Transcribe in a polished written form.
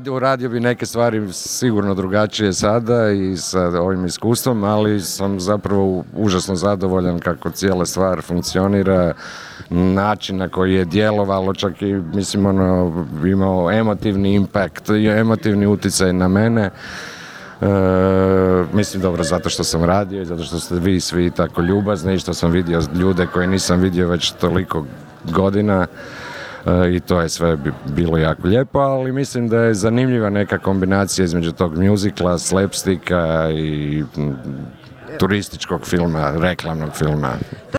uradio bi neke stvari sigurno drugačije sada i sa ovim iskustvom, ali sam zapravo užasno zadovoljan kako cijela stvar funkcionira, način na koji je djelovalo, čak i mislim imao emotivni impact, emotivni utjecaj na mene. Mislim dobro zato što sam radio i zato što ste vi svi tako ljubazni i što sam vidio ljude koje nisam vidio već toliko godina. I to je sve bilo jako lijepo, ali mislim da je zanimljiva neka kombinacija između tog muzikla, slapsticka i turističkog filma, reklamnog filma.